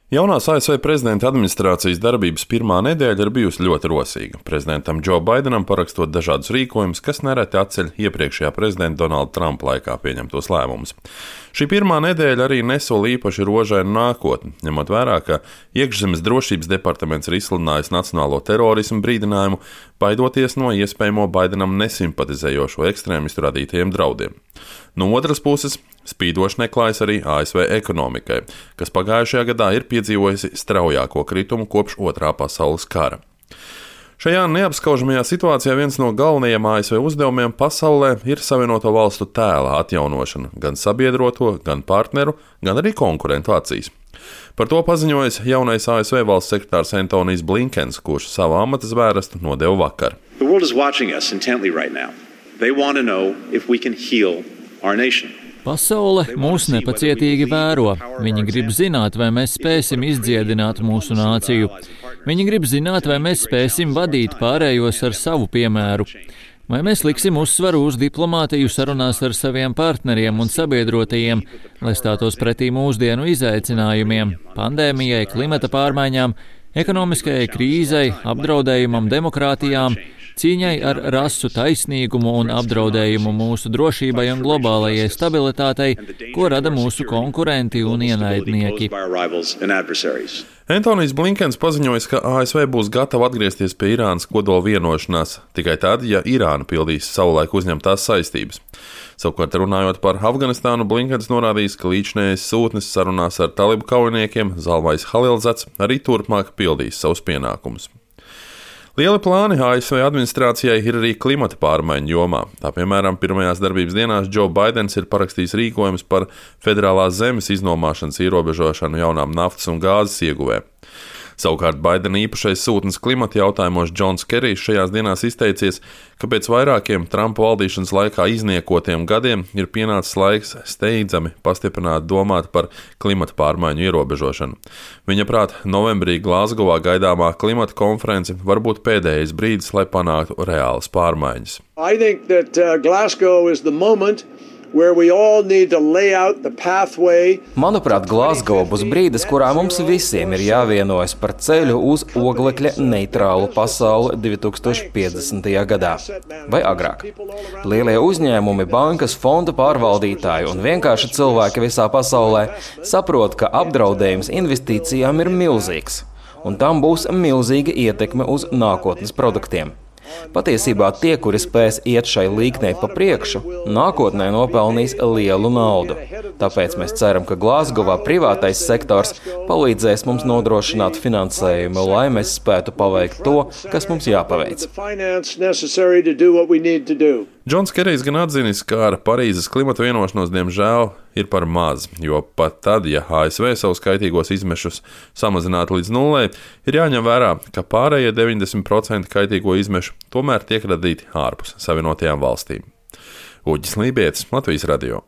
Jaunās ASV prezidenta administrācijas darbības pirmā nedēļa ir bijusi ļoti rosīga. Prezidentam Džo Baidenam parakstot dažādus rīkojumus, kas nereti atceļ iepriekšējā prezidenta Donalda Trumpa laikā pieņemtos lēmumus. Šī pirmā nedēļa arī nesola īpaši rožainu nākotni, ņemot vērā, ka iekšzemes drošības departaments ir izsludinājis nacionālo terorismu brīdinājumu, baidoties no iespējamo Baidenam nesimpatizējošo ekstrēmistu radītajiem draudiem. No otras puses, spīdoši neklājas arī ASV ekonomikai, kas pagājušajā gadā ir piedzīvojusi straujāko kritumu kopš Otrā pasaules kara. Šajā neapskaužamajā situācijā viens no galvenajiem ASV uzdevumiem pasaulē ir Savienoto Valstu tēla atjaunošana gan sabiedroto, gan partneru, gan arī konkurentu acīs. Par to paziņojis jaunais ASV valsts sekretārs Antonijs Blinkens, kurš savu amata zvērestu nodeva vakar. Pasaule mūs nepacietīgi vēro. Viņi grib zināt, vai mēs spēsim izdziedināt mūsu nāciju. Viņi grib zināt, vai mēs spēsim vadīt pārējos ar savu piemēru. Vai mēs liksim uzsvaru uz diplomātiju sarunās ar saviem partneriem un sabiedrotajiem, lai stātos pretī mūsdienu izaicinājumiem, pandēmijai, klimata pārmaiņām, ekonomiskajai krīzei, apdraudējumam demokrātijām, cīņai ar rasu taisnīgumu un apdraudējumu mūsu drošībai un globālajai stabilitātei, ko rada mūsu konkurenti un ienaidnieki. Antonijs Blinkens paziņoja, ka ASV būs gatava atgriezties pie Irānas kodola vienošanās tikai tad, ja Irāna pildīs savulaik uzņemtās saistības. Savukārt runājot par Afganistānu, Blinkens norādījis, ka līdzinējais sūtnis sarunās ar talibu kaujiniekiem Zalmais Halilzats arī turpmāk pildīs savus pienākumus. Lieli plāni ASV administrācijai ir arī klimata pārmaiņu jomā. Tā piemēram, pirmajās darbības dienās Džo Baidens ir parakstījis rīkojumus par federālās zemes iznomāšanas ierobežošanu jaunām naftas un gāzes ieguvēm. Savukārt Baidena īpašais sūtnis klimata jautājumos Džons Kerijs šajās dienās izteicies, ka pēc vairākiem Trumpa valdīšanas laikā izniekotiem gadiem ir pienācis laiks steidzami pastiprināt domāt par klimata pārmaiņu ierobežošanu. Viņa prāt, novembrī Glazgovā gaidāmā klimata konference var būt pēdējais brīdis, lai panāktu reālas pārmaiņas. Manuprāt, Glazgo būs brīdis, kurā mums visiem ir jāvienojas par ceļu uz oglekļa neitrālu pasauli 2050. gadā vai agrāk. Lielie uzņēmumi, bankas, fondu pārvaldītāji un vienkārši cilvēki visā pasaulē saprot, ka apdraudējums investīcijām ir milzīgs, un tam būs milzīga ietekme uz nākotnes produktiem. Patiesībā tie, kuri spēs iet šai līknei pa priekšu, nākotnē nopelnīs lielu naudu. Tāpēc mēs ceram, ka Glazgovā privātais sektors palīdzēs mums nodrošināt finansējumu, lai mēs spētu paveikt to, kas mums jāpaveic. Džons Kerijs gan atzinis, ka ar Parīzes klimata vienošanos diemžēl ir par maz, jo pat tad, ja ASV savus kaitīgos izmešus samazinātu līdz nulē, ir jāņem vērā, ka pārējie 90% kaitīgo izmešu tomēr tiek radīti ārpus Savienotajām valstīm. Uģis Lībietis, Latvijas radio.